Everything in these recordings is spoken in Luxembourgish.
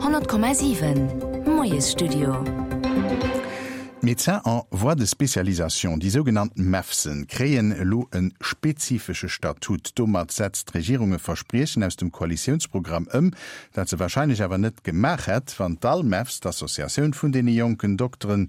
100,7 Moiesstudio. D'Médecins en voie de spécialisation, déi sougenannt MEFSen, kréien elo e spezifesche Statut. Domat setzt d'Regierung e Verspriechen aus dem Koalitiounsprogramm ëm, dat se warscheinlech awer net gemaach hätt, wann d'Almefs, d'Associatioun vun deene jonken Dokteren,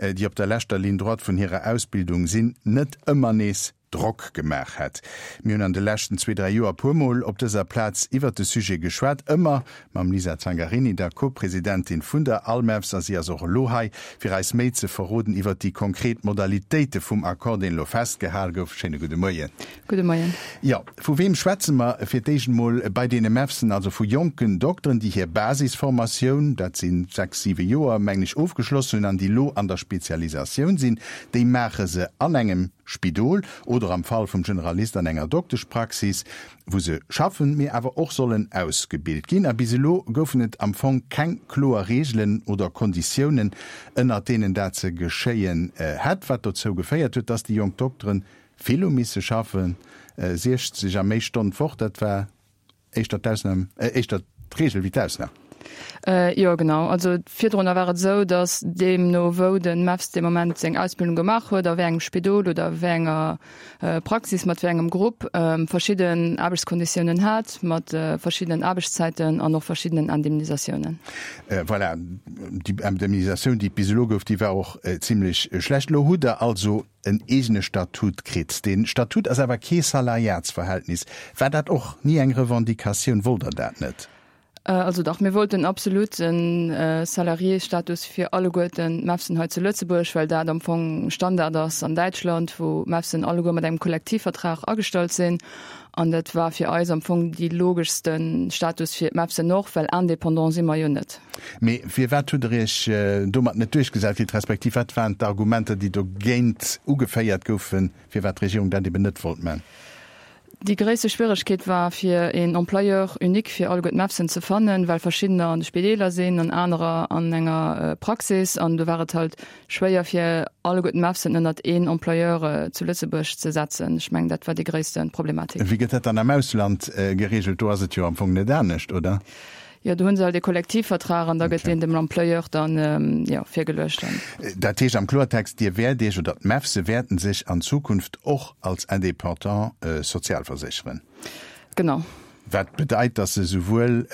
déi op der leschter Ligne droite vun hirer Ausbildung sinn, net ëmmer nees Drock gemaach hätt. Mir hunn an de leschten zwee, dräi Joer puer Mol op dëser Plaz iwwert de Sujet geschwat, ëmmer mam Lisa Zangarini, der Co-Presidentin vun der ALMEFS, a si ass och elo hei, fir eis méi ze verroden iwwert déi konkret Modalitéite vum Accord, deen elo festgehal gouf. Schéine gudde Moien. Gudde Moien. Jo, vu weem schwätze mer fir d'éischt emol bei deene MEFSen? Also vu jonken Dokteren, déi hir Basisformatioun, dat si sechs, siwe Joer, mengen ech, ofgeschloss hunn an déi elo an der Spezialisatioun sinn. Déi maache se an engem Spidol oder am Fall vum Generalist an enger Dokteschpraxis, wou se schaffen, mee awer och sollen ausgebilt ginn. A bis elo goufen et am Fong keng kloer Reegelen oder Konditiounen, ënnert deenen dat ze geschéien hätt, wat dozou geféiert huet, dass déi jonk Dokteren vill hu misse schaffen, 60 a méi Stonnen d'Woch, dat war Éischter d'Ausnam, éischter d'Reegel wéi d'Ausnam. Jo, genau. Also virdrunner war et esou, datt deemno wou de MEFS dee Moment seng Ausbildung gemaach huet, a wéi engem Spidol oder wéi enger Praxis, mat wéi engem Grupp, verschidden Aarbechtskonditiounen hat, mat verschiddenen Aarbechtszäiten an och verschiddenen Indemnisatiounen. Voilà, déi Indemnisatioun, déi et bis elo gouf, déi war och zimlech schlecht. Elo hutt Der also en eegene Statut kritt. Dee Statut ass awer kee Salariatsverhältnis. War dat och ni eng Revendicatioun? Wollt Der dat net? Also dach, mir wollten absolut e Salariésstatus fir alleguerten d'MEFSen hei zu Lëtzebuerg, well dat am Fong Standard ass an Däitschland, wou d'MEFSen alleguer mat engem Kollektivvertrag agestallt sinn. An dat war fir eis am Fong déi logeschste Status fir d'MEFSen och, well indépendant si mer jo net. Mee firwat hutt Der Iech domat net duerchgesat kritt, respektiv wat waren d'Argumenter, déi dogéint ugeféiert goufen, firwat d'Regierung dat eben net wollt man? Déi gréisste Schwieregkeet war, fir een Employeur unique fir alleguer d'MEFSen ze fannen, well verschiddener an de Spideeler sinn an anerer an enger Praxis. An do war et halt schwéier, fir alleguer d'MEFSen ënnert een Employeur zu Lëtzebuerg ze setzen. Ech mengen, dat war déi gréisste Problematik. Wéi gëtt dat dann am Ausland geregelt? Do ass et jo am Fong net anescht, oder? Jo, do hu se halt ee Kollektivvertrag an da gëtt deen dem Employeur dann, jo, virgeluecht. Dat heescht am Kloertext, Dir wäert Iech, oder d'MEFSe wäerten sech an Zukunft och als Indépendant sozialversécheren? Genau. Wat bedeit, dass se souwuel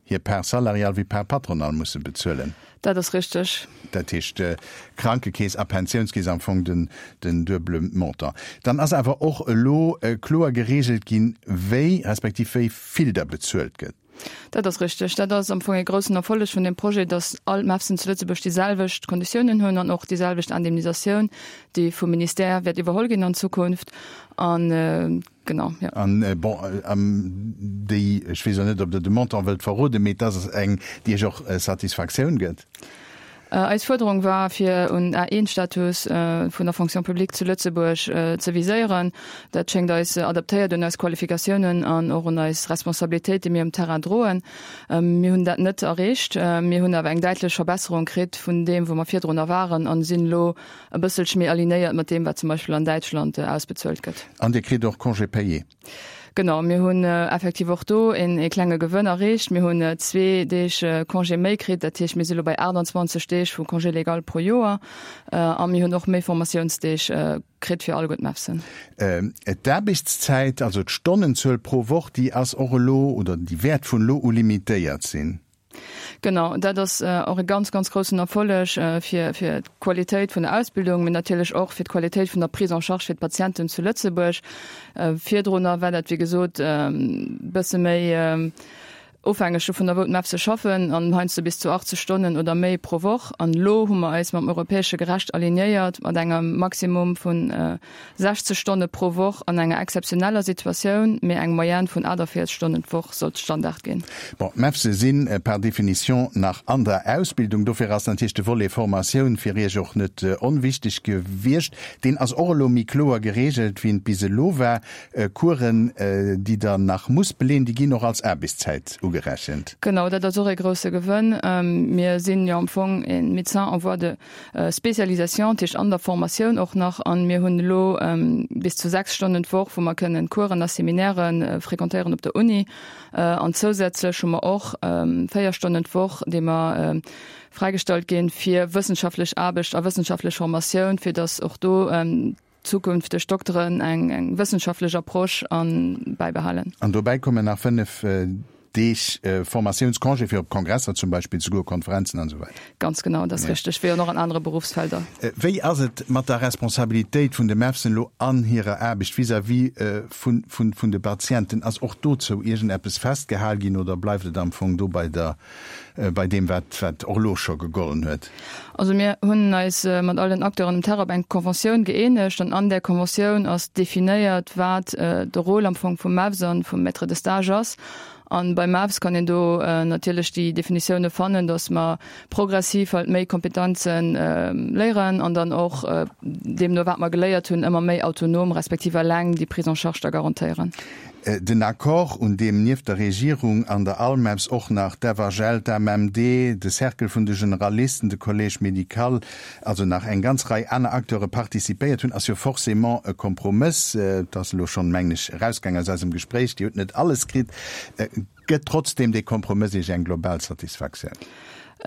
hir Part salariale wéi Part patronale musse bezuelen? Dat ass richteg. Dat heescht Krankekeess a Pensiounskeess, am Fong den, den duebele Montant. Dann ass awer och elo kloer geregelt ginn, wéi, respektiv wéi vill da bezuelt gëtt. Dat ass richteg. Dat ass am Fong e groussen Erfolleg vun deem Projet, datt all d'MEFSen zu Lëtzebuerg déi selwecht Konditiounen hunn an och déi selwecht Indemnisatioun, déi vum Ministère wäert iwwerholl ginn an Zukunft. An genau, jo. An, bon, déi, ech weess och net, ob Der de Montant wëllt verroden, mee et ass eng, déi Iech och Satisfaktioun gëtt. Eis Fuerderung war, fir un A1-Status vun der Fonction publique zu Lëtzebuerg ze viséieren. Dat schéngt eis adaptéiert un eis Qualifikatiounen an och un eis Responsabilitéit, déi mir um Terrain droen. Mir hunn dat net erreecht. Mir hunn awer eng däitlech Verbesserung kritt vun deem, wou mer virdrunner waren an sinn elo e bësselche méi alignéiert mat deem, wat zum Beispill an Däitschland ausbezuelt gëtt. An Dir kritt och Congé payé? Genau, mir hunn effektiv och do een ee klenge Gewënn erreecht. Mir hunn zwee Deeg Congé méi kritt, dat heescht mir si lo bei 28 Deeg vu Congé légal pro Joer a mir hunn och méi Formatiounsdeeg kritt fir alleguer d'MEFSen. D'Aarbechtszäit, also d'Stonnenzuel pro Woch, déi ass och elo oder déi wäert vun elo u limitéiert sinn. Genau, dat ass och e ganz, ganz groussen Erfolleg fir, fir d'Qualitéit vun der Ausbildung, mee natierlech och fir d'Qualitéit vun der Prise en charge fir d'Patienten zu Lëtzebuerg. Virdrunner war dat, wéi gesot, e bësse méi ofhängeg dovunner, wou d'MEFSe schaffen, an heiansdo bis zu 80 Stonnen oder méi pro Woch. An elo hu mer eis mam europäesche Gerecht alignéiert mat engem Maximum vun 60 Stonne pro Woch an enger exzeptioneller Situatioun, mee eng Moyenne vun 48 Stonnen d'Woch sollt Standard ginn. Bon, d'MEFSe si par définition nach an der Ausbildung, dofir ass natierlech de Volet Formatioun fir Iech och net onwichteg gewiescht. Deen ass och elo méi kloer gereegelt, wéi en bis elo war. Coursen, déi Der nach musst beleen, déi ginn och als Aarbechtszäit ugesinn. ugerechent. Genau, dat ass och ee grousse Gewënn. Mir sinn jo am Fong e Médecin en voie de spécialisation, dat heescht an der Formatioun och nach, an mir hunn elo bis zu 6 Stonnen d'Woch, wou mer kënnen Coursen a Seminairen fréquentéieren op der Uni. An zousätzlech hu mer och 4 Stonnen d'Woch, déi mer fräigestallt ginn fir wëssenschaftlech Aarbecht a wëssenschaftlech Formatioun, fir datt och do zukünfteg Dokteren eng eng wëssenschaftlech Approche an bäibehalen. An dobäi kommen nach 5 Deeg Formatiounscongé fir op Kongresser zum Beispill ze goen, Konferenzen an esou weider. Ganz genau, dat ass richteg, wéi och nach an anere Beruffsfelder. Wéi ass et mat der Responsabilitéit vun de MEFSen elo an hirer Aarbecht vis-à-vis vun vun de Patienten? Ass och dozou iergendeppes festgehal ginn oder bleift et am Fong do bei der bei deem wat wat och elo scho gegollen huet? Also mir hunn eis mat all den Acteuren um Terrain op eng Conventioun gëeenegt an an där Conventioun ass definéiert, wat de Rôle am Fong vum MEFS an vum Maître de stage ass. An beim MEFS kann een do natierlech déi Definitioune fannen, datt mer progressiv halt méi Kompetenzen léieren an dann och deemno wat mer geléiert hunn ëmmer méi autonom respektiv eleng déi Prise en charge da garantéieren. Den Accord, un deem nieft der Regierung an der ALMEPS och nach d'FHL, d'AMMD, de Cercle vun de Generalisten, de Collège médical, also nach eng ganz Rei aner Acteure participéiert hunn, ass jo forcément e Kompromëss. Et ass elo schonn, mengen ech, erausgaang aus eisem Gespréich, Dir hutt net alles kritt. Gëtt trotzdeem dee Kompromëss Iech eng global Satisfaktioun?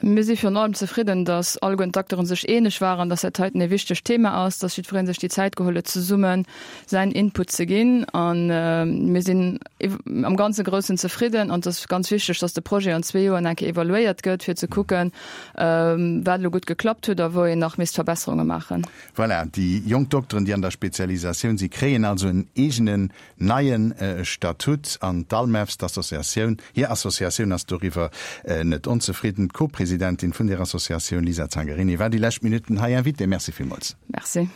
Mir si virun allem zefridden, datt alleguerten d'Acteuren sech eeneg waren, datt dat heiten e wichtegt Thema ass, datt jiddweree sech déi Zäit geholl huet, zesumme säin Input ze ginn. A mir sinn am ganze Groussen zefridden. An et ass ganz wichteg, datt de Projet an zwee Joer eng Kéier evaluéiert gëtt, fir ze kucken, wat elo gutt geklappt huet a wou een nach misst Verbesserunge maachen. Voilà, déi jonk Dokteren, déi an der Spezialisatioun si, kréien also en eegenen Neien Statut an d'Almefs, d'Associatioun, hir Associatioun ass doriwwer net onzefridden. D'Co-Presidentin vun där Associatioun, Lisa Zangarini, war déi lescht Minutten hei Invitée. Merci villmools. Merci.